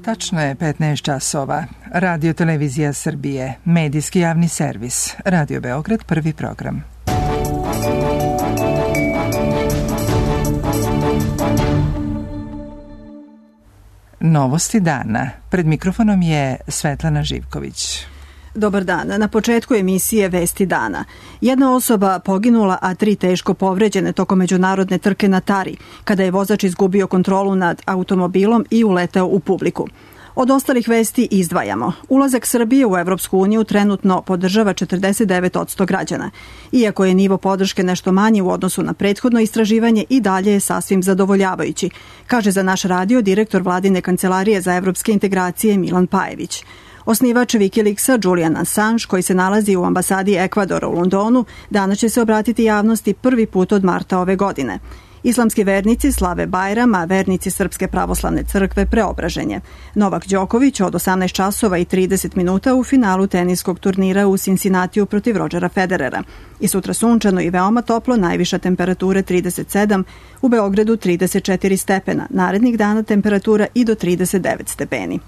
Tačno je 15 časova. Radio Televizija Srbije, medijski javni servis. Radio Beograd, prvi program. Novosti dana. Pred mikrofonom je Svetlana Živković. Dobar dan. Na početku emisije Vesti dana. Jedna osoba poginula, a 3 teško povređene tokom međunarodne trke na Tari, kada je vozač izgubio kontrolu nad automobilom i uleteo u publiku. Od ostalih vesti izdvajamo. Ulazak Srbije u Evropsku uniju trenutno podržava 49% građana. Iako je nivo podrške nešto manji u odnosu na prethodno istraživanje, i dalje je sasvim zadovoljavajući, kaže za naš radio direktor Vladine kancelarije za evropske integracije Milan Pajević. Osnivač Wikileaksa Julian Assange, koji se nalazi u ambasadi Ekvadora u Londonu, danas će se obratiti javnosti prvi put od marta ove godine. Islamski vernici slave Bajram, a vernici Srpske pravoslavne crkve Preobraženje. Novak Đoković od 18 časova i 30 minuta u finalu teniskog turnira u Cincinnatiju protiv Rodgera Federera. I sutra sunčano i veoma toplo, najviša temperatura 37, u Beogradu 34 stepena. Narednih dana temperatura i do 39 stepeni.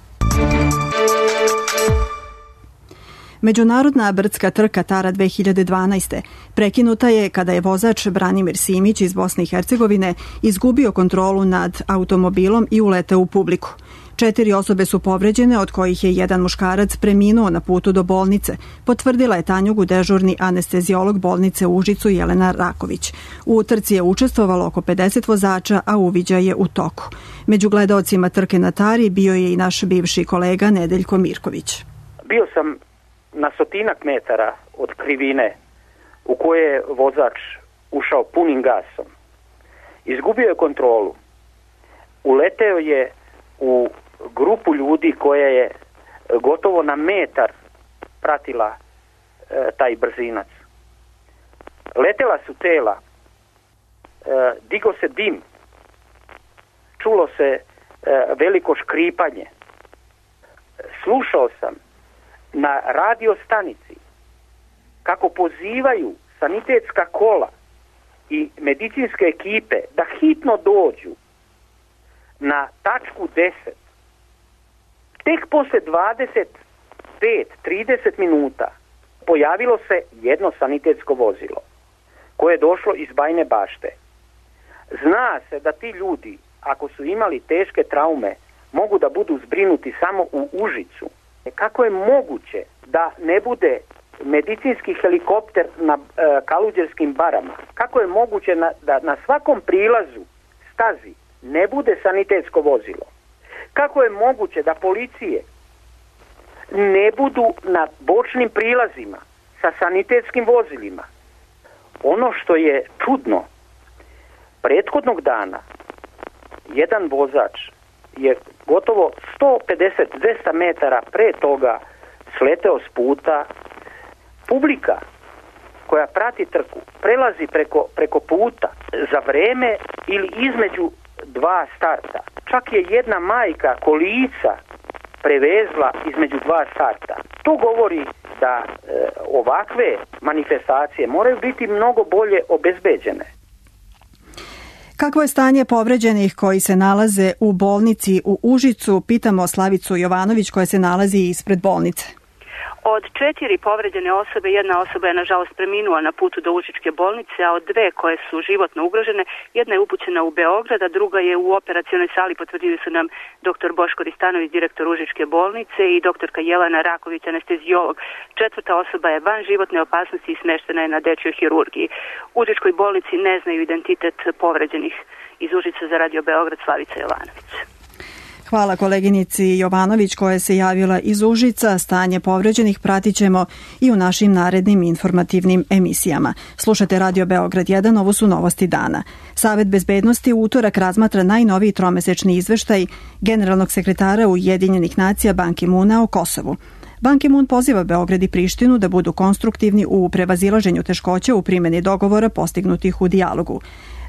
Međunarodna brdska trka Tara 2012. prekinuta je kada je vozač Branimir Simić iz Bosne i Hercegovine izgubio kontrolu nad automobilom i uleteo u publiku. 4 osobe su povređene, od kojih je jedan muškarac preminuo na putu do bolnice, potvrdila je Tanjugu dežurni anesteziolog bolnice u Užicu Jelena Raković. U trci je učestvovalo oko 50 vozača, a uviđaj je u toku. Među gledaocima trke na Tari bio je i naš bivši kolega Nedeljko Mirković. Bio sam na 100 metara od krivine u koje je vozač ušao punim gasom. Izgubio je kontrolu. Uleteo je u grupu ljudi koja je gotovo na metar pratila taj brzinac. Letela su tela, digo se dim, čulo se veliko škripanje. Slušao sam na radio stanici kako pozivaju sanitetska kola i medicinske ekipe da hitno dođu na tačku 10. Tek posle 25-30 minuta pojavilo se jedno sanitetsko vozilo koje je došlo iz Bajine Bašte. Zna se da ti ljudi, ako su imali teške traume, mogu da budu zbrinuti samo u Užicu. Kako je moguće da ne bude medicinski helikopter na Kaluđerskim barama? Kako je moguće da na svakom prilazu stazi ne bude sanitetsko vozilo? Kako je moguće da policije ne budu na bočnim prilazima sa sanitetskim vozilima? Ono što je čudno, prethodnog dana jedan vozač je gotovo 150-200 metara pre toga sleteo s puta. Publika koja prati trku prelazi preko puta za vreme ili između 2 starta. Čak je jedna majka kolica prevezla između 2 starta. To govori da ovakve manifestacije moraju biti mnogo bolje obezbeđene. Kakvo je stanje povređenih koji se nalaze u bolnici u Užicu? Pitamo Slavicu Jovanović koja se nalazi ispred bolnice. Od 4 povređene osobe, jedna osoba je nažalost preminula na putu do Užičke bolnice, a od 2 koje su životno ugrožene, jedna je upućena u Beograd, a druga je u operacionoj sali, potvrdili su nam dr. Boško Ristanović, direktor Užičke bolnice, i doktorka Jelena Raković, anesteziolog. 4. osoba je van životne opasnosti i smeštena je na dečjoj hirurgiji. U Užičkoj bolnici ne znaju identitet povređenih. Iz Užica za Radio Beograd, Slavica Jovanović. Hvala koleginici Jovanović koja se javila iz Užica. Stanje povređenih pratit ćemo i u našim narednim informativnim emisijama. Slušate Radio Beograd 1, ovo su novosti dana. Savet bezbednosti u utorak razmatra najnoviji tromesečni izveštaj generalnog sekretara Ujedinjenih nacija Ban Ki-moona o Kosovu. Ban Ki-moon poziva Beograd i Prištinu da budu konstruktivni u prevazilaženju teškoća u primjeni dogovora postignutih u dijalogu.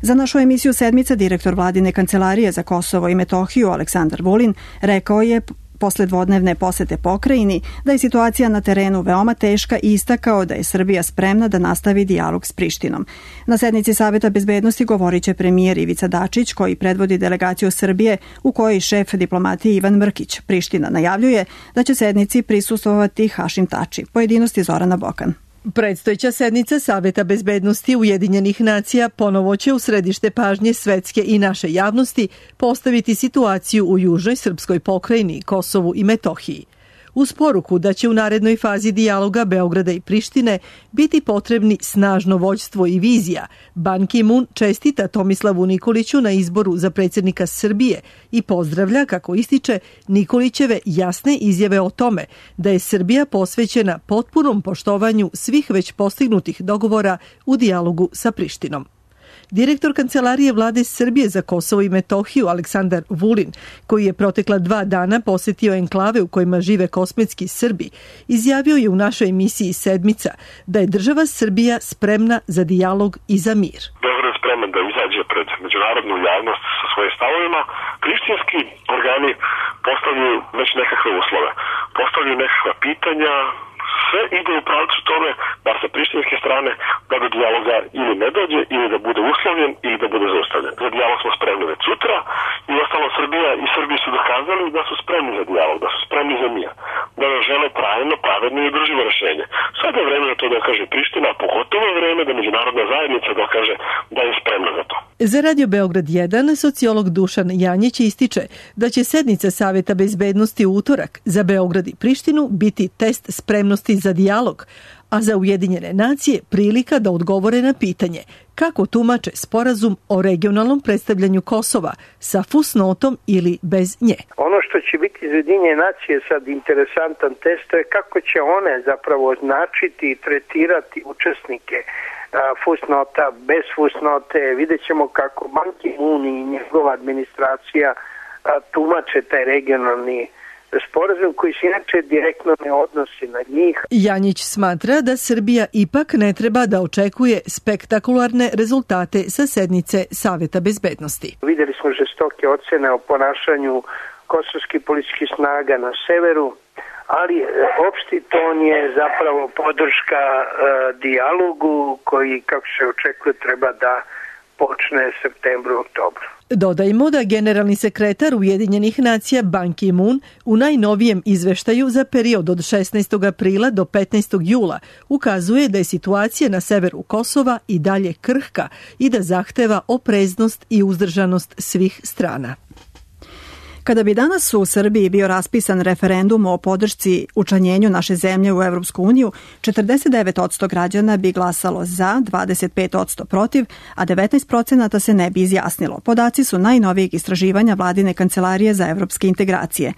Za našu emisiju Sedmica direktor Vladine kancelarije za Kosovo i Metohiju Aleksandar Vulin rekao je posle dvodnevne posete pokrajini, da je situacija na terenu veoma teška i istakao da je Srbija spremna da nastavi dijalog s Prištinom. Na sednici Saveta bezbednosti govorit će premijer Ivica Dačić, koji predvodi delegaciju Srbije u kojoj šef diplomatije Ivan Mrkić. Priština najavljuje da će sednici prisustvovati Hašim Tači. Pojedinosti Zorana Bokan. Predstojeća sednica Saveta bezbednosti Ujedinjenih nacija ponovo će u središte pažnje svetske i naše javnosti postaviti situaciju u južnoj srpskoj pokrajini, Kosovu i Metohiji. Uz poruku da će u narednoj fazi dijaloga Beograda i Prištine biti potrebni snažno vođstvo i vizija, Ban Ki-moon čestita Tomislavu Nikoliću na izboru za predsjednika Srbije i pozdravlja, kako ističe, Nikolićeve jasne izjave o tome da je Srbija posvećena potpunom poštovanju svih već postignutih dogovora u dijalogu sa Prištinom. Direktor Kancelarije vlade Srbije za Kosovo i Metohiju Aleksandar Vulin, koji je protekla 2 dana posjetio enklave u kojima žive kosmetski Srbi, izjavio je u našoj emisiji Sedmica da je država Srbija spremna za dijalog i za mir. Beograd je spreman da izađe pred međunarodnu javnost sa svojim stavovima. Prištinski organi postavljaju već nekakve uslove, postavljaju nekakva pitanja, sve ide u pravcu tome da sa prištinske strane da do dijaloga ili ne dođe, ili da bude uslovljen, ili da bude zaustavljen. Za dijalog smo spremni već sutra i ostalo Srbija i Srbi su dokazali da su spremni za dijalog, da su spremni za mir, da ne žele trajno, pravedno i održivo rešenje. Sada je vreme da to dokaže Priština, pogotovo je vreme da međunarodna zajednica dokaže da je spremna za to. Za Radio Beograd 1 sociolog Dušan Janjić ističe da će sednica Saveta bezbednosti u utorak za Beograd i Prištinu biti test spremnosti za dijalog, a za Ujedinjene nacije prilika da odgovore na pitanje kako tumače sporazum o regionalnom predstavljanju Kosova sa fusnotom ili bez nje. Ono što će biti za Ujedinjene nacije sad interesantan test je kako će one zapravo označiti i tretirati učesnike fusnota, bez fusnote. Vidjet ćemo kako Ban Ki-moon i njegova administracija tumače taj regionalni sporazum koji se inače direktno ne odnosi na njih. Janjić smatra da Srbija ipak ne treba da očekuje spektakularne rezultate sa sednice Saveta bezbednosti. Vidjeli smo žestoke ocene o ponašanju kosovskih policijskih snaga na severu, ali opšti ton je zapravo podrška dijalogu koji, kako se očekuje, treba da počne septembru, oktobru. Dodajmo da generalni sekretar Ujedinjenih nacija Ban Ki-moon u najnovijem izveštaju za period od 16. aprila do 15. jula ukazuje da je situacija na severu Kosova i dalje krhka i da zahteva opreznost i uzdržanost svih strana. Kada bi danas u Srbiji bio raspisan referendum o podršci učlanjenju naše zemlje u Evropsku uniju, 49% građana bi glasalo za, 25% protiv, a 19% se ne bi izjasnilo. Podaci su najnovijeg istraživanja Vladine kancelarije za evropske integracije.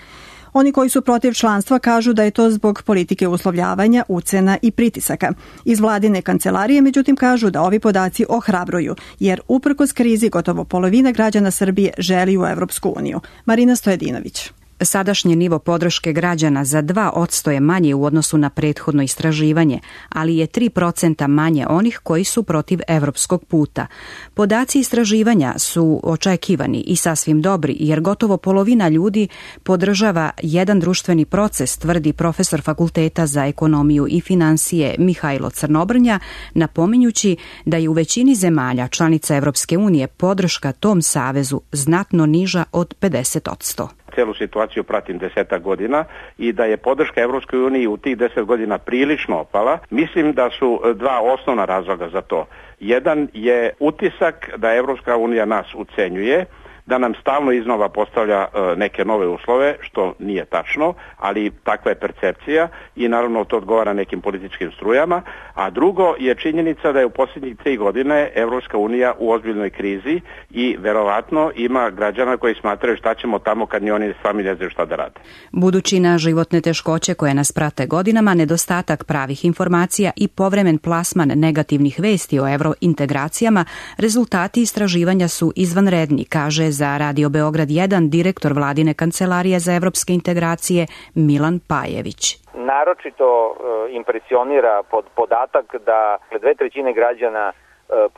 Oni koji su protiv članstva kažu da je to zbog politike uslovljavanja, ucena i pritisaka. Iz Vladine kancelarije, međutim, kažu da ovi podaci ohrabruju, jer uprkos krizi gotovo polovina građana Srbije želi u Evropsku uniju. Marina Stojedinović. Sadašnji nivo podrške građana za 2% je manje u odnosu na prethodno istraživanje, ali je 3% manje onih koji su protiv evropskog puta. Podaci istraživanja su očekivani i sasvim dobri, jer gotovo polovina ljudi podržava jedan društveni proces, tvrdi profesor Fakulteta za ekonomiju i finansije Mihajlo Crnobrnja, napominjući da je u većini zemalja članica Evropske unije podrška tom savezu znatno niža od 50%. Celu situaciju pratim 10 godina i da je podrška Evropskoj uniji u tih 10 godina prilično opala. Mislim da su 2 osnovna razloga za to. Jedan je utisak da Evropska unija nas ucenjuje, da nam stalno iznova postavlja neke nove uslove, što nije tačno, ali takva je percepcija i naravno to odgovara nekim političkim strujama. A drugo je činjenica da je u posljednjih 3 godine Evropska unija u ozbiljnoj krizi i verovatno ima građana koji smatraju šta ćemo tamo kad ni oni sami ne znaju šta da rade. Budući na životne teškoće koje nas prate godinama, nedostatak pravih informacija i povremen plasman negativnih vesti o evrointegracijama, rezultati istraživanja su izvanredni, kaže za Radio Beograd 1 direktor Vladine kancelarije za evropske integracije Milan Pajević. Naročito impresionira podatak da 2/3 građana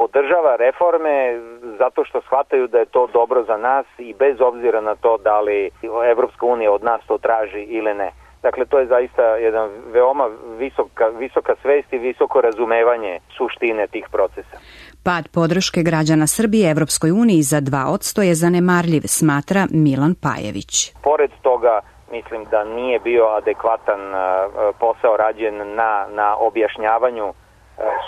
podržava reforme zato što shvataju da je to dobro za nas i bez obzira na to da li Evropska unija od nas to traži ili ne. Dakle, to je zaista jedan veoma visoka svest i visoko razumevanje suštine tih procesa. Pad podrške građana Srbije Evropskoj uniji za 2% je zanemarljiv, smatra Milan Pajević. Pored toga, mislim da nije bio adekvatan posao rađen na objašnjavanju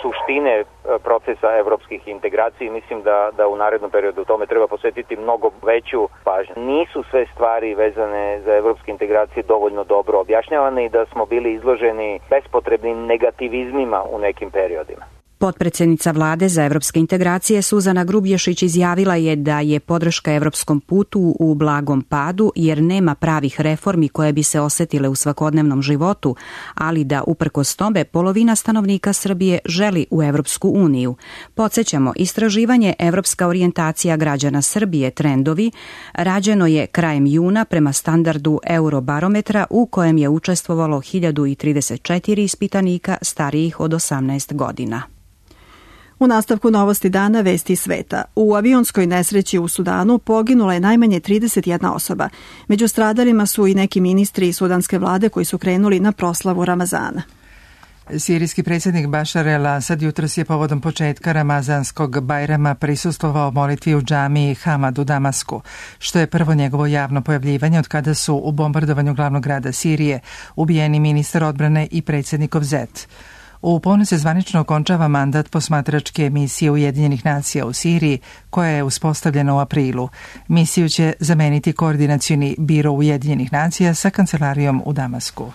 suštine procesa evropskih integracija. Mislim da u narednom periodu tome treba posvetiti mnogo veću pažnju. Nisu sve stvari vezane za evropske integracije dovoljno dobro objašnjavane i da smo bili izloženi bespotrebnim negativizmima u nekim periodima. Potpredsednica Vlade za evropske integracije Suzana Grubješić izjavila je da je podrška evropskom putu u blagom padu jer nema pravih reformi koje bi se osetile u svakodnevnom životu, ali da uprkos tome polovina stanovnika Srbije želi u Evropsku uniju. Podsećamo, istraživanje Evropska orijentacija građana Srbije trendovi rađeno je krajem juna prema standardu Eurobarometra u kojem je učestvovalo 1034 ispitanika starijih od 18 godina. U nastavku novosti dana vesti sveta. U avionskoj nesreći u Sudanu poginula je najmanje 31 osoba. Među stradalima su i neki ministri sudanske vlade koji su krenuli na proslavu Ramazana. Sirijski predsjednik Bašar el-Asad jutros je povodom početka Ramazanskog Bajrama prisustvovao molitvi u džamiji Hamad u Damasku, što je prvo njegovo javno pojavljivanje od kada su u bombardovanju glavnog grada Sirije ubijeni ministar odbrane i predsjednikov zet. U ponoć se zvanično okončava mandat posmatračke misije Ujedinjenih nacija u Siriji, koja je uspostavljena u aprilu. Misiju će zameniti koordinacioni biro Ujedinjenih nacija sa kancelarijom u Damasku.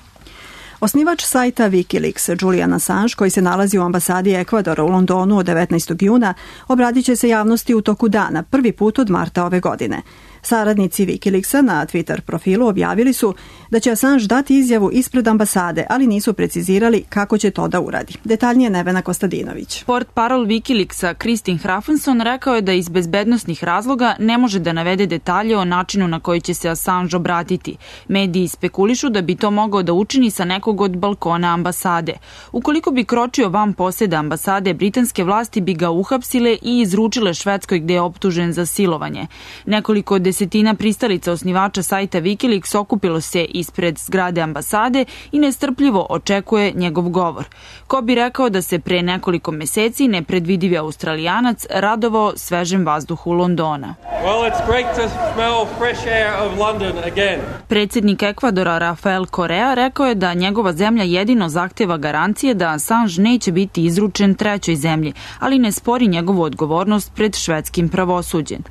Osnivač sajta Wikileaks, Julian Assange, koji se nalazi u ambasadi Ekvadora u Londonu od 19. juna, obradit će se javnosti u toku dana, prvi put od marta ove godine. Saradnici Wikileaksa na Twitter profilu objavili su da će Assange dati izjavu ispred ambasade, ali nisu precizirali kako će to da uradi. Detaljnije Nevena Kostadinović. Portparol Wikileaksa Kristin Hrafenson rekao je da iz bezbednosnih razloga ne može da navede detalje o načinu na koji će se Assange obratiti. Mediji spekulišu da bi to mogao da učini sa nekog od balkona ambasade. Ukoliko bi kročio van poseda ambasade, britanske vlasti bi ga uhapsile i izručile Švedskoj gde je optužen za silovanje. Nekoliko desetina pristalica osnivača sajta Wikileaks okupilo se ispred zgrade ambasade i nestrpljivo očekuje njegov govor. Ko bi rekao da se pre nekoliko meseci nepredvidivi Australijanac radovao svežem vazduhu Londona. Predsjednik Ekvadora Rafael Correa rekao je da njegova zemlja jedino zahteva garancije da Assange neće biti izručen trećoj zemlji, ali ne spori njegovu odgovornost pred švedskim pravosuđem.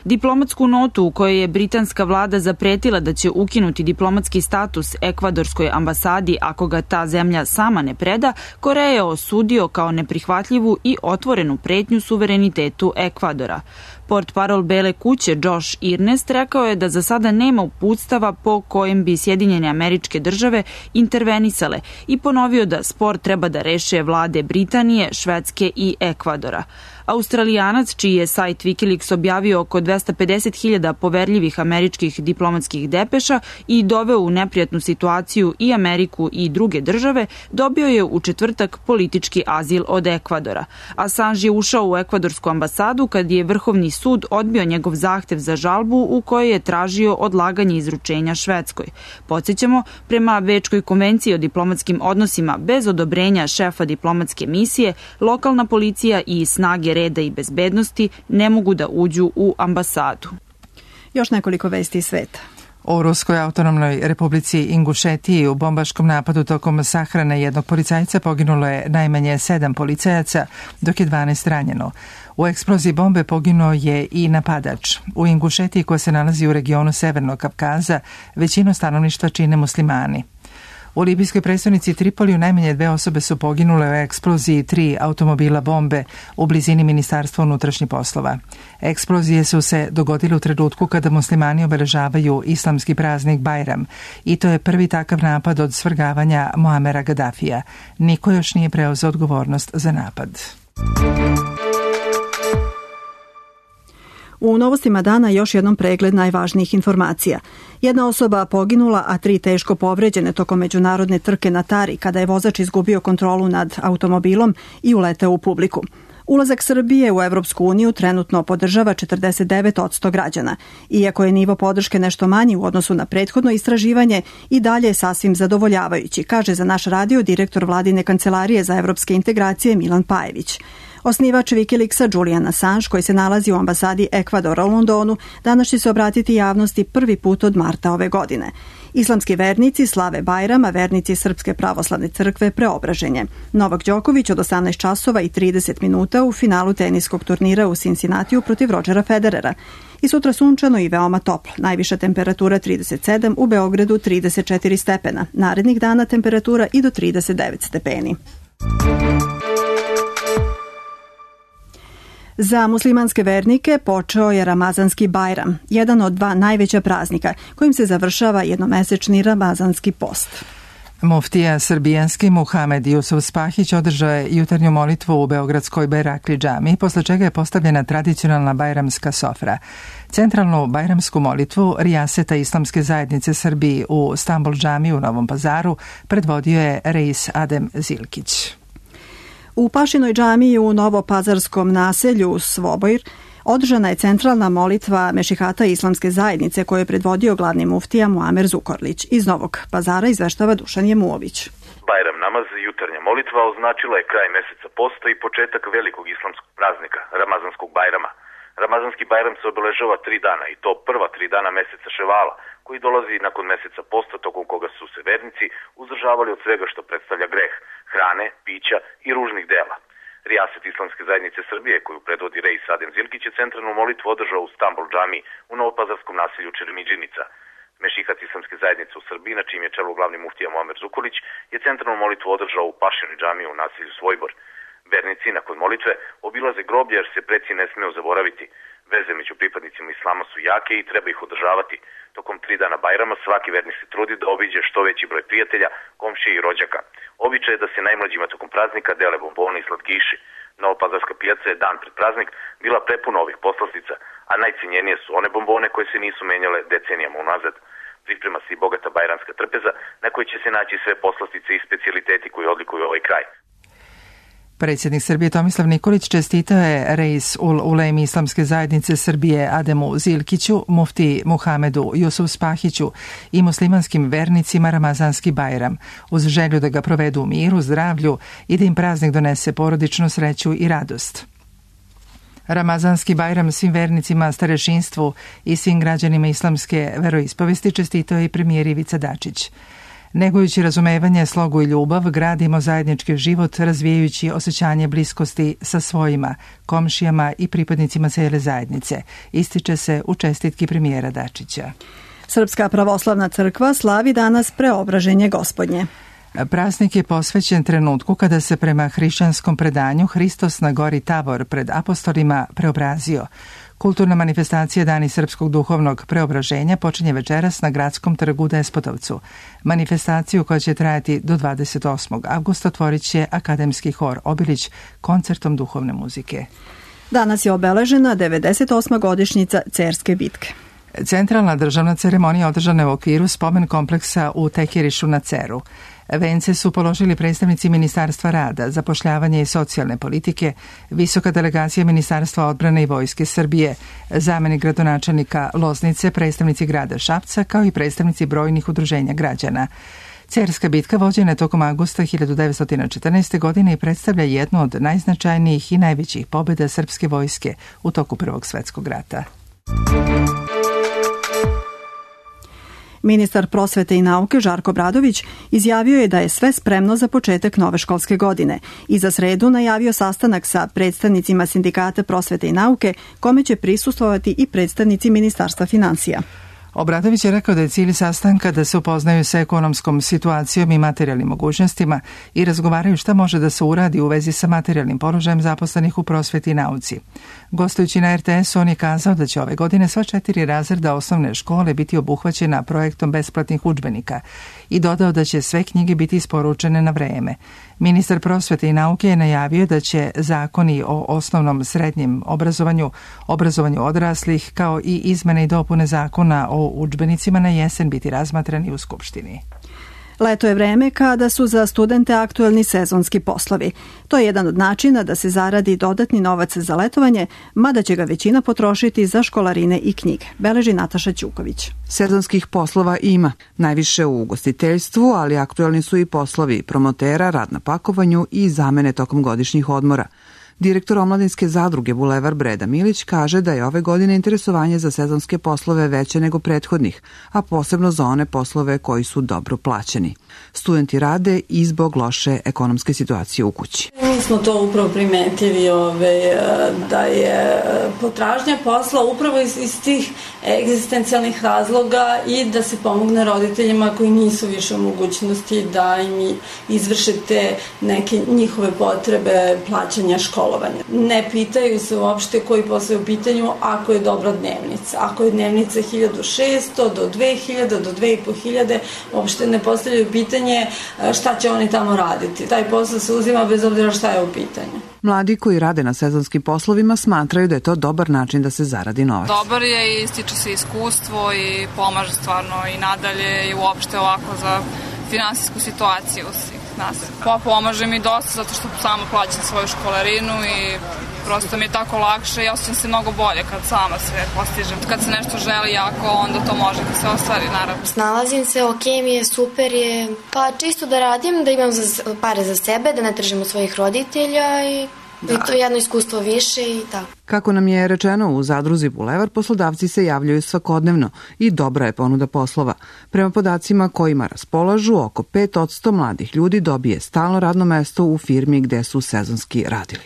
Diplomatsku notu u kojoj je britanska vlada zapretila da će ukinuti diplomatski status ekvadorskoj ambasadi ako ga ta zemlja sama ne preda, Korea je osudio kao neprihvatljivu i otvorenu pretnju suverenitetu Ekvadora. Portparol Bele kuće Josh Earnest rekao je da za sada nema uputstava po kojem bi Sjedinjene Američke Države intervenisale i ponovio da spor treba da reše vlade Britanije, Švedske i Ekvadora. Australijanac, čiji je sajt Wikileaks objavio oko 250.000 poverljivih američkih diplomatskih depeša i doveo u neprijatnu situaciju i Ameriku i druge države, dobio je u četvrtak politički azil od Ekvadora. Assange je ušao u ekvadorsku ambasadu kad je Vrhovni sud odbio njegov zahtev za žalbu u kojoj je tražio odlaganje izručenja Švedskoj. Podsjećamo, prema Bečkoj konvenciji o diplomatskim odnosima bez odobrenja šefa diplomatske misije, lokalna policija i snage reda i bezbednosti ne mogu da uđu u ambasadu. Još nekoliko vesti iz sveta. U Ruskoj autonomnoj republici Ingušetiji u bombaškom napadu tokom sahrane jednog policajca poginulo je najmanje 7 policajaca, dok je 12 ranjeno. U eksploziji bombe poginuo je i napadač. U Ingušetiji, koja se nalazi u regionu Severnog Kavkaza, većinu stanovništva čine muslimani. U libijskoj prestonici Tripoliju najmanje 2 osobe su poginule u eksploziji 3 automobila bombe u blizini Ministarstva unutrašnjih poslova. Eksplozije su se dogodile u trenutku kada muslimani obeležavaju islamski praznik Bajram i to je prvi takav napad od svrgavanja Muamera Gaddafija. Niko još nije preuzeo odgovornost za napad. U novostima dana još jednom pregled najvažnijih informacija. Jedna osoba poginula, a 3 teško povređene tokom međunarodne trke na Tari kada je vozač izgubio kontrolu nad automobilom i uleteo u publiku. Ulazak Srbije u Evropsku uniju trenutno podržava 49% građana. Iako je nivo podrške nešto manji u odnosu na prethodno istraživanje, i dalje je sasvim zadovoljavajući, kaže za naš radio direktor Vladine kancelarije za evropske integracije Milan Pajević. Osnivač Wikileaksa Julian Assange, koji se nalazi u ambasadi Ekvadora u Londonu, danas će se obratiti javnosti prvi put od marta ove godine. Islamski vernici slave Bajram, a vernici Srpske pravoslavne crkve Preobraženje. Novak Đoković od 18 časova i 30 minuta u finalu teniskog turnira u Cincinnatiju protiv Rodgera Federera. I sutra sunčano i veoma toplo. Najviša temperatura 37, u Beogradu 34 stepena. Narednih dana temperatura i do 39 stepeni. Za muslimanske vernike počeo je Ramazanski Bajram, jedan od dva najveća praznika kojim se završava jednomesečni Ramazanski post. Muftija srbijanski Muhamed Jusuf Spahić održao je jutarnju molitvu u beogradskoj Bajrakli džami, posle čega je postavljena tradicionalna bajramska sofra. Centralnu bajramsku molitvu rijaseta Islamske zajednice Srbiji u Stambol džami u Novom Pazaru predvodio je reis Adem Zilkić. U Pašinoj džamiji u Novopazarskom naselju Svobojr održana je centralna molitva Mešihata Islamske zajednice koju je predvodio glavni muftija Muamer Zukorlić. Iz Novog Pazara izveštava Dušan Jemuović. Bajram namaz, jutarnja molitva, označila je kraj meseca posta i početak velikog islamskog praznika, Ramazanskog Bajrama. Ramazanski Bajram se obeležava 3 dana i to prva 3 dana meseca Ševala, koji dolazi nakon meseca posta tokom koga su se vernici uzdržavali od svega što predstavlja greh, hrane, pića i ružnih dela. Rijaset Islamske zajednice Srbije, koju predvodi reis Adem Zilkić, je centralnu molitvu održao u Stambol džami u Novopazarskom naselju Čermidžinica. Mešihat Islamske zajednice u Srbiji, na čijem je čelu glavni muftija Muamer Zukorlić, je centralnu molitvu održao u Pašinoj džami u naselju Svojbor. Vernici nakon molitve obilaze groblje jer se preci ne smeju zaboraviti. Veze među pripadnicima islama su jake i treba ih održavati. Tokom 3 dana Bajrama svaki vernik se trudi da obiđe što veći broj prijatelja, komšija i rođaka. Običaj je da se najmlađima tokom praznika dele bombone i slatkiši. Novopazarska pijaca je dan pred praznik bila prepuna ovih poslastica, a najcenjenije su one bombone koje se nisu menjale decenijama unazad. Priprema se i bogata bajramska trpeza na kojoj će se naći sve poslastice i specijaliteti koji odlikuju ovaj kraj. Predsjednik Srbije Tomislav Nikolić čestitao je reis ul ulem Islamske zajednice Srbije Ademu Zilkiću, mufti Muhamedu Jusuf Spahiću i muslimanskim vernicima Ramazanski Bajram, uz želju da ga provedu u miru, zdravlju i da im praznik donese porodičnu sreću i radost. Ramazanski Bajram svim vernicima, starešinstvu i svim građanima islamske veroispovesti čestitao je i premijer Ivica Dačić. Negujući razumevanje, slogu i ljubav, gradimo zajednički život razvijajući osjećanje bliskosti sa svojima, komšijama i pripadnicima cele zajednice, ističe se u čestitki premijera Dačića. Srpska pravoslavna crkva slavi danas Preobraženje Gospodnje. Praznik je posvećen trenutku kada se prema hrišćanskom predanju Hristos na gori Tabor pred apostolima preobrazio. Kulturna manifestacija Dani srpskog duhovnog preobraženja počinje večeras na Gradskom trgu u Despotovcu. Manifestaciju koja će trajati do 28. avgusta otvorit će Akademski hor Obilić koncertom duhovne muzike. Danas je obeležena 98. godišnjica Cerske bitke. Centralna državna ceremonija održana je u okviru spomen kompleksa u Tekirišu na Ceru. Vence su položili predstavnici Ministarstva rada, zapošljavanja i socijalne politike, visoka delegacija Ministarstva odbrane i Vojske Srbije, zamenik gradonačelnika Loznice, predstavnici grada Šapca, kao i predstavnici brojnih udruženja građana. Cerska bitka vođena je tokom avgusta 1914. godine i predstavlja jednu od najznačajnijih i najvećih pobjeda srpske vojske u toku Prvog svjetskog rata. Ministar prosvete i nauke Žarko Obradović izjavio je da je sve spremno za početak nove školske godine i za sredu najavio sastanak sa predstavnicima Sindikata prosvete i nauke, kome će prisustvovati i predstavnici Ministarstva finansija. Obradović je rekao da je cilj sastanka da se upoznaju sa ekonomskom situacijom i materijalnim mogućnostima i razgovaraju šta može da se uradi u vezi sa materijalnim položajem zaposlenih u prosveti i nauci. Gostujući na RTS-u, on je kazao da će ove godine sva 4 razreda osnovne škole biti obuhvaćena projektom besplatnih udžbenika i dodao da će sve knjige biti isporučene na vreme. Ministar prosvete i nauke je najavio da će zakoni o osnovnom srednjem obrazovanju odraslih, kao i izmene i dopune zakona o udžbenicima na jesen biti razmatrani u Skupštini. Leto je vreme kada su za studente aktuelni sezonski poslovi. To je jedan od načina da se zaradi dodatni novac za letovanje, mada će ga većina potrošiti za školarine i knjige, beleži Nataša Ćuković. Sezonskih poslova ima, najviše u ugostiteljstvu, ali aktuelni su i poslovi promotera, rad na pakovanju i zamene tokom godišnjih odmora. Direktor omladinske zadruge Bulevar Breda Milić kaže da je ove godine interesovanje za sezonske poslove veće nego prethodnih, a posebno za one poslove koji su dobro plaćeni. Studenti rade i zbog loše ekonomske situacije u kući. Mi smo to upravo primetili da je potražnja posla upravo iz tih egzistencijalnih razloga i da se pomogne roditeljima koji nisu više u mogućnosti da im izvrše te neke njihove potrebe plaćanja školovanja. Ne pitaju se uopšte koji posao je u pitanju ako je dobra dnevnica. Ako je dnevnica 1600 do 2000 do 2500, uopšte ne postavljaju pitanje šta će oni tamo raditi. Taj posao se uzima bez obzira šta je u pitanju. Mladi koji rade na sezonskim poslovima smatraju da je to dobar način da se zaradi novac. Dobar je i stiče se iskustvo i pomaže stvarno i nadalje i uopšte ovako za finansijsku situaciju svih nas. Pomaže mi dosta zato što samo plaćam svoju školarinu i prosto mi je tako lakše i osjećam se mnogo bolje kad sama sve postižem. Kad se nešto želi jako, onda to može da se ostvari, naravno. Snalazim se, ok mi je, super je. Pa čisto da radim, da imam pare za sebe, da ne tržim od svojih roditelja i to je jedno iskustvo više i tako. Kako nam je rečeno u zadruzi Bulevar, poslodavci se javljaju svakodnevno i dobra je ponuda poslova. Prema podacima kojima raspolažu, oko 5% mladih ljudi dobije stalno radno mesto u firmi gde su sezonski radili.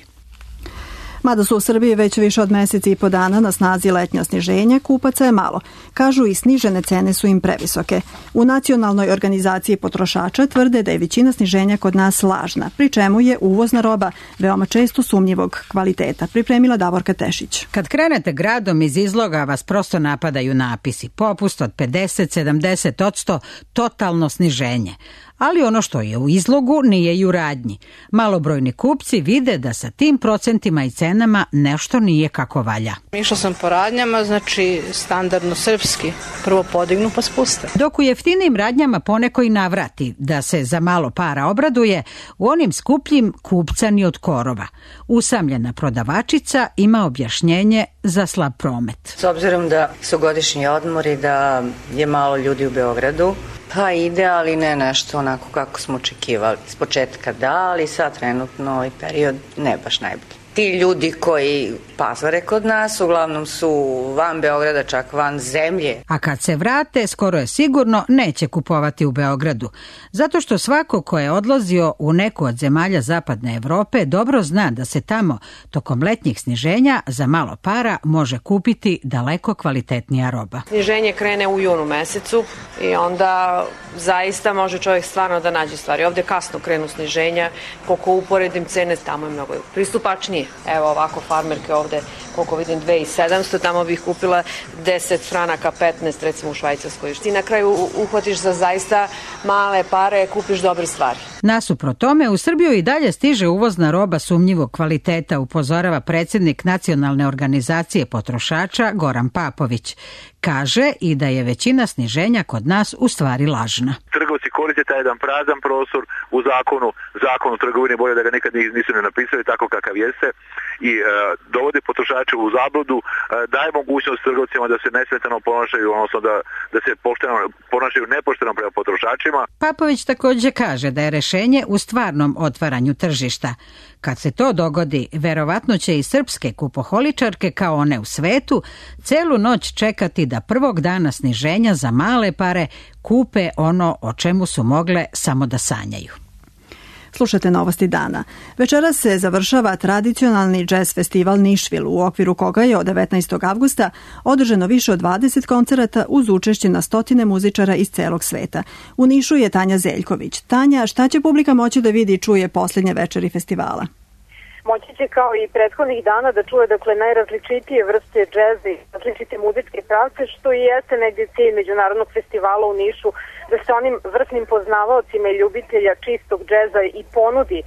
Mada su u Srbiji već više od meseci i po dana na snazi letnja sniženja, kupaca je malo. Kažu i snižene cene su im previsoke. U Nacionalnoj organizaciji potrošača tvrde da je većina sniženja kod nas lažna, pri čemu je uvozna roba veoma često sumnjivog kvaliteta, pripremila Davorka Tešić. Kad krenete gradom, iz izloga vas prosto napadaju napisi. Popust od 50-70%, totalno sniženje. Ali ono što je u izlogu nije i u radnji. Malobrojni kupci vide da sa tim procentima i cenama nešto nije kako valja. Išla sam po radnjama, znači standardno srpski. Prvo podignu pa spuste. Dok u jeftinim radnjama poneko i navrati da se za malo para obraduje, u onim skupljim kupca ni od korova. Usamljena prodavačica ima objašnjenje za slab promet. S obzirom da su godišnji odmori, da je malo ljudi u Beogradu, pa ide, ali ne nešto onako kako smo očekivali. S početka da, ali sad trenutno ovaj period ne baš najbolji. Ti ljudi koji pazare kod nas uglavnom su van Beograda, čak van zemlje. A kad se vrate, skoro je sigurno neće kupovati u Beogradu. Zato što svako ko je odlazio u neku od zemalja zapadne Evrope dobro zna da se tamo tokom letnjih sniženja za malo para može kupiti daleko kvalitetnija roba. Sniženje krene u junu mesecu i onda zaista može čovjek stvarno da nađe stvari. Ovde kasno krenu sniženja, koliko uporedim cene, tamo je mnogo pristupačnije. Evo ovako farmerke ovde, koliko vidim 2700, tamo bih kupila 10 franaka, 15 recimo u Švajcarskoj. Ti na kraju uhvatiš za zaista male pare, kupiš dobre stvari. Nasuprot tome, u Srbiju i dalje stiže uvozna roba sumnjivog kvaliteta, upozorava predsjednik Nacionalne organizacije potrošača Goran Papović. Kaže i da je većina sniženja kod nas u stvari lažna. Trgovci koriste taj jedan prazan prostor u zakonu o trgovini, bolje da ga nikad nisu ne napisali tako kakav jeste i dovode potrošače u zabludu, daje mogućnost trgovcima da se nesmetano ponašaju, odnosno da se ponašaju nepošteno prema potrošačima. Papović također kaže da je rešenje u stvarnom otvaranju tržišta. Kad se to dogodi, verovatno će i srpske kupoholičarke kao one u svetu celu noć čekati da prvog dana sniženja za male pare kupe ono o čemu su mogle samo da sanjaju. Slušate Novosti dana. Večeras se završava tradicionalni džez festival Nišvil, u okviru koga je od 19. avgusta održano više od 20 koncerata uz učešće na stotine muzičara iz celog sveta. U Nišu je Tanja Zeljković. Tanja, šta će publika moći da vidi i čuje posljednje večeri festivala? Moći će kao i prethodnih dana da čuje najrazličitije vrste džeza i različite muzičke pravce, što i jeste negdje cilj Međunarodnog festivala u Nišu, da se onim vrsnim poznavaocima i ljubitelja čistog džeza i ponudi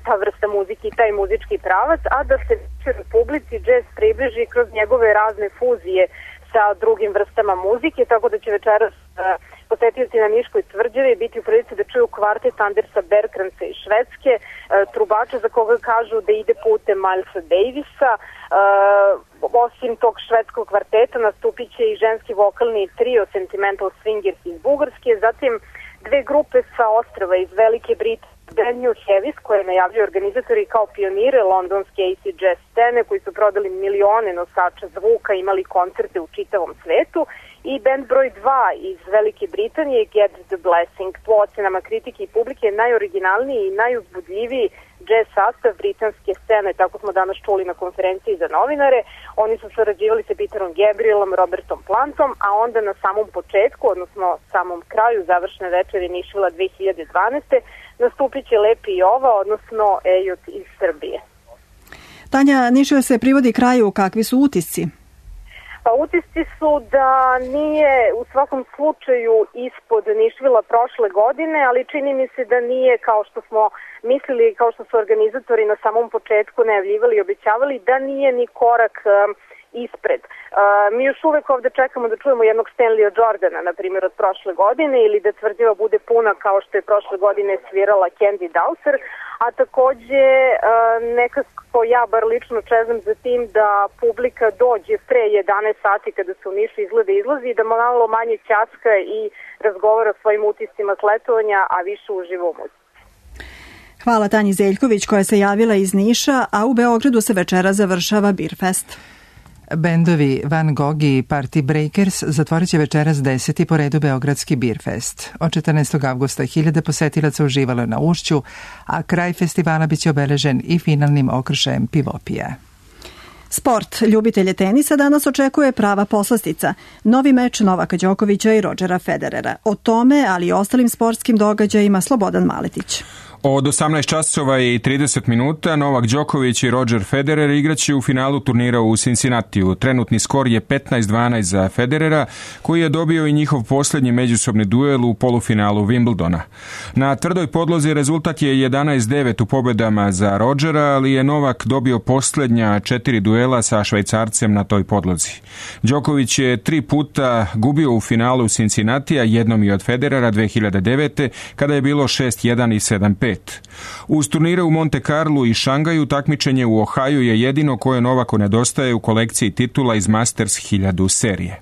ta vrsta muzike i taj muzički pravac, a da se publici džez približi kroz njegove razne fuzije sa drugim vrstama muzike, tako da će večeras posetioci na Niškoj tvrđavi biti u prilici da čuju kvartet Andersa Bergkranca iz Švedske, trubača za koga kažu da ide putem Milesa Davisa. Osim tog švedskog kvarteta nastupit će i ženski vokalni trio Sentimental Swingers iz Bugarske, zatim dve grupe sa ostrava iz Velike Britanije, Brand New Heavies, koje najavljuju organizatori kao pionire londonske acid jazz scene, koji su prodali milione nosača zvuka, imali koncerte u čitavom svetu, i band broj 2 iz Velike Britanije, Get the Blessing, po ocenama kritike i publike najoriginalniji i najuzbudljiviji jazz sastav britanske scene, tako smo danas čuli na konferenciji za novinare. Oni su sarađivali sa Peterom Gabrielom, Robertom Plantom, a onda na samom početku, odnosno samom kraju završne večeri Nišvila 2012. nastupit će Lepi Jova, odnosno Ejot iz Srbije. Tanja, Nišvil se privodi kraju, kakvi su utisci? Pa utisci su da nije u svakom slučaju ispod Nišvila prošle godine, ali čini mi se da nije kao što smo mislili, kao što su organizatori na samom početku najavljivali i obećavali, da nije ni korak ispred. Mi još uvek ovde čekamo da čujemo jednog Stanleya Jordana, na primjer, od prošle godine, ili da tvrđava bude puna kao što je prošle godine svirala Candy Dowser, a takođe nekako ja bar lično čezam za tim da publika dođe pre 11 sati kada se u Nišu izlazi i da malo manje ćaska i razgovara o svojim utiscima s letovanja, a više uživa u muzici. Hvala Tanji Zeljković koja se javila iz Niša, a u Beogradu se večera završava Beerfest. Bendovi Van Gogh i Party Breakers zatvorit će večeras 10. po redu Beogradski Beerfest. Od 14. avgusta 1000 posetilaca uživalo je na ušću, a kraj festivala biće obeležen i finalnim okršajem pivopija. Sport. Ljubitelje tenisa danas očekuje prava poslastica. Novi meč Novaka Đokovića i Rodgera Federera. O tome, ali i ostalim sportskim događajima, Slobodan Maletić. Od 18 časova i 30 minuta Novak Đoković i Roger Federer igraće u finalu turnira u Cincinnatiju. Trenutni skor je 15-12 za Federera, koji je dobio i njihov posljednji međusobni duel u polufinalu Wimbledona. Na tvrdoj podlozi rezultat je 11-9 u pobjedama za Rogera, ali je Novak dobio posljednja 4 duela sa Švajcarcem na toj podlozi. Đoković je 3 puta gubio u finalu Cincinnatija, jednom i od Federera 2009. kada je bilo 6-1 i 7-5. Uz turnire u Monte Carlu i Šangaju takmičenje u Ohaju je jedino koje Novaku nedostaje u kolekciji titula iz Masters 1000 serije.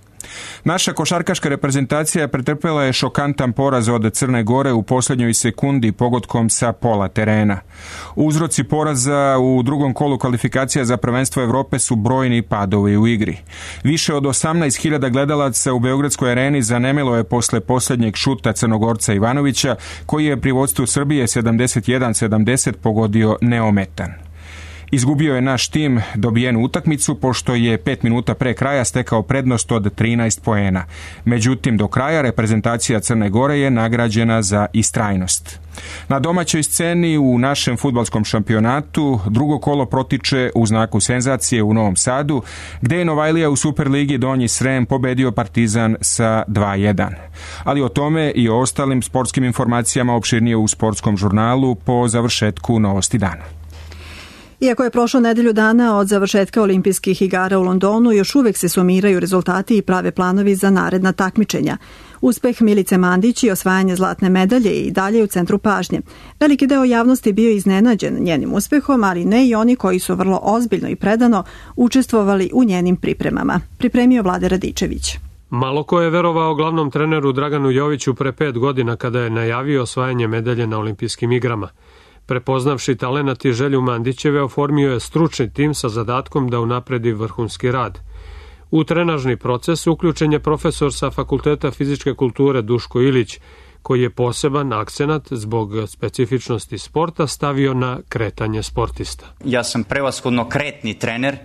Naša košarkaška reprezentacija pretrpela je šokantan poraz od Crne Gore u posljednjoj sekundi pogodkom sa pola terena. Uzroci poraza u drugom kolu kvalifikacija za prvenstvo Evrope su brojni padovi u igri. Više od 18.000 gledalaca u Beogradskoj areni zanemelo je posle posljednjeg šuta Crnogorca Ivanovića, koji je pri vodstvu Srbije 71-70 pogodio neometan. Izgubio je naš tim dobijenu utakmicu pošto je 5 minuta pre kraja stekao prednost od 13 poena. Međutim, do kraja reprezentacija Crne Gore je nagrađena za istrajnost. Na domaćoj sceni u našem fudbalskom šampionatu drugo kolo protiče u znaku senzacije u Novom Sadu, gde je Novajlija u Superligi Donji Srem pobedio Partizan sa 2-1. Ali o tome i o ostalim sportskim informacijama opširnije u sportskom žurnalu po završetku Novosti dana. Iako je prošlo nedelju dana od završetka olimpijskih igara u Londonu, još uvek se sumiraju rezultati i prave planovi za naredna takmičenja. Uspeh Milice Mandić i osvajanje zlatne medalje i dalje u centru pažnje. Veliki deo javnosti bio iznenađen njenim uspehom, ali ne i oni koji su vrlo ozbiljno i predano učestvovali u njenim pripremama. Pripremio Vlade Radičević. Malo ko je verovao glavnom treneru Draganu Joviću pre 5 godina kada je najavio osvajanje medalje na olimpijskim igrama. Prepoznavši talenat i želju Mandićeve, oformio je stručni tim sa zadatkom da unapredi vrhunski rad. U trenažni proces uključen je profesor sa Fakulteta fizičke kulture Duško Ilić, koji je poseban akcenat zbog specifičnosti sporta stavio na kretanje sportista. Ja sam prevashodno kretni trener.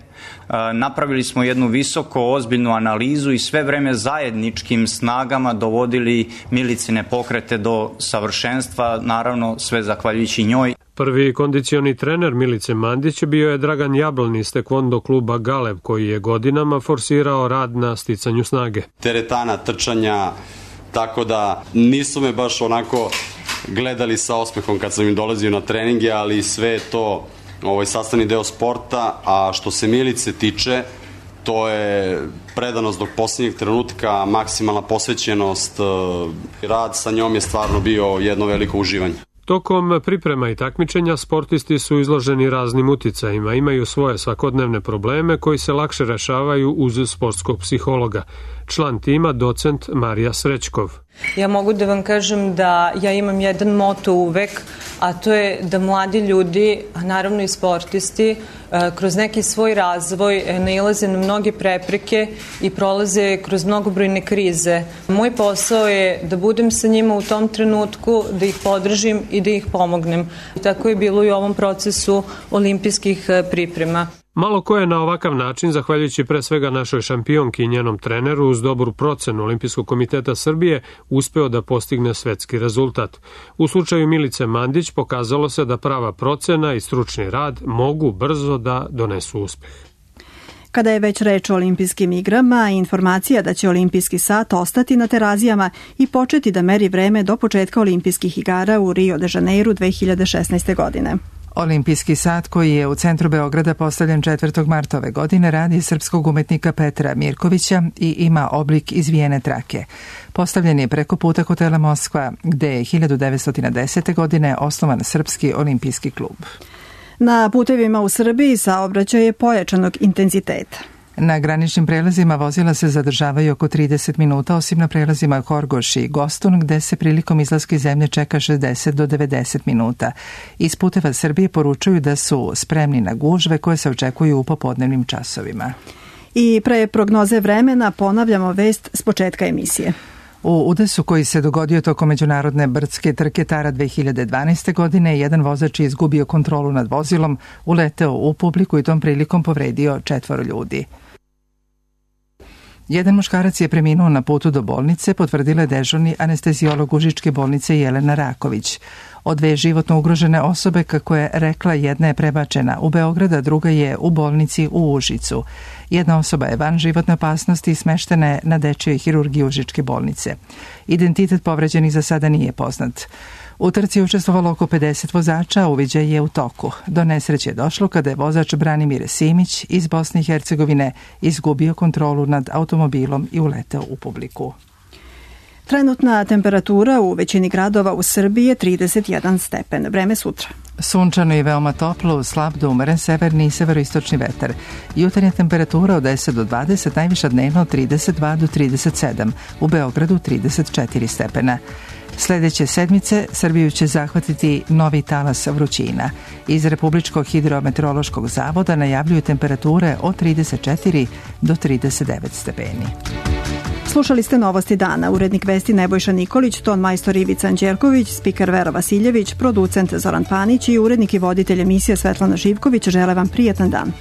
Napravili smo jednu visoko ozbiljnu analizu i sve vreme zajedničkim snagama dovodili Milicine pokrete do savršenstva, naravno sve zahvaljujući njoj. Prvi kondicioni trener Milice Mandić bio je Dragan Jablon iz tekvondo kluba Galev, koji je godinama forsirao rad na sticanju snage. Teretana, trčanja, tako da nisu me baš onako gledali sa osmehom kad sam im dolazio na treninge, ali sve je to sastavni deo sporta, a što se Milice tiče, To je predanost do posljednjeg trenutka, maksimalna posvećenost, rad sa njom je stvarno bio jedno veliko uživanje. Tokom priprema i takmičenja sportisti su izloženi raznim uticajima, imaju svoje svakodnevne probleme koji se lakše rešavaju uz sportskog psihologa. Član tima, docent Marija Srećkov. Ja mogu da vam kažem da ja imam jedan moto uvek, a to je da mladi ljudi, a naravno i sportisti, kroz neki svoj razvoj nailaze na mnoge prepreke i prolaze kroz mnogobrojne krize. Moj posao je da budem sa njima u tom trenutku, da ih podržim i da ih pomognem. Tako je bilo i u ovom procesu olimpijskih priprema. Malo ko je na ovakav način, zahvaljujući pre svega našoj šampionki i njenom treneru, uz dobru procenu Olimpijskog komiteta Srbije, uspeo da postigne svetski rezultat. U slučaju Milice Mandić pokazalo se da prava procena i stručni rad mogu brzo da donesu uspeh. Kada je već reč o olimpijskim igrama, informacija da će olimpijski sat ostati na Terazijama i početi da meri vreme do početka olimpijskih igara u Rio de Janeiru 2016. godine. Olimpijski sat koji je u centru Beograda postavljen 4. marta ove godine radi srpskog umetnika Petra Mirkovića i ima oblik izvijene trake. Postavljen je preko puta hotela Moskva, gde je 1910. godine osnovan Srpski olimpijski klub. Na putevima u Srbiji saobraćaj je pojačanog intenziteta. Na graničnim prelazima vozila se zadržavaju oko 30 minuta, osim na prelazima Horgoš i Gostun, gde se prilikom izlaska iz zemlje čeka 60 do 90 minuta. Iz puteva Srbije poručuju da su spremni na gužve koje se očekuju u popodnevnim časovima. I pre prognoze vremena ponavljamo vest s početka emisije. U udesu koji se dogodio tokom međunarodne brdske trke Tara 2012. godine, jedan vozač je izgubio kontrolu nad vozilom, uleteo u publiku i tom prilikom povredio 4 ljudi. Jedan muškarac je preminuo na putu do bolnice, potvrdila je dežurni anesteziolog Užičke bolnice Jelena Raković. Od 2 životno ugrožene osobe, kako je rekla, jedna je prebačena u Beograd, a druga je u bolnici u Užicu. Jedna osoba je van životne opasnosti i smeštena je na dečijoj hirurgiji Užičke bolnice. Identitet povređenih za sada nije poznat. U trci je učestvovalo oko 50 vozača, a uviđaj je u toku. Do nesreće je došlo kada je vozač Branimir Simić iz Bosne i Hercegovine izgubio kontrolu nad automobilom i uleteo u publiku. Trenutna temperatura u većini gradova u Srbiji je 31 stepen. Vreme sutra. Sunčano i veoma toplo, slab do umeren severni i severoistočni vetar. Jutarnja temperatura od 10 do 20, najviša dnevno od 32 do 37, u Beogradu 34 stepena. Sledeće sedmice Srbiju će zahvatiti novi talas vrućina. Iz Republičkog hidrometeorološkog zavoda najavljuju temperature od 34 do 39 stepeni. Slušali ste Novosti dana. Urednik vesti Nebojša Nikolić, ton majstor Ivica Anđelković, spiker Vera Vasiljević, producent Zoran Panić i urednik i voditelj emisije Svetlana Živković žele vam prijatan dan.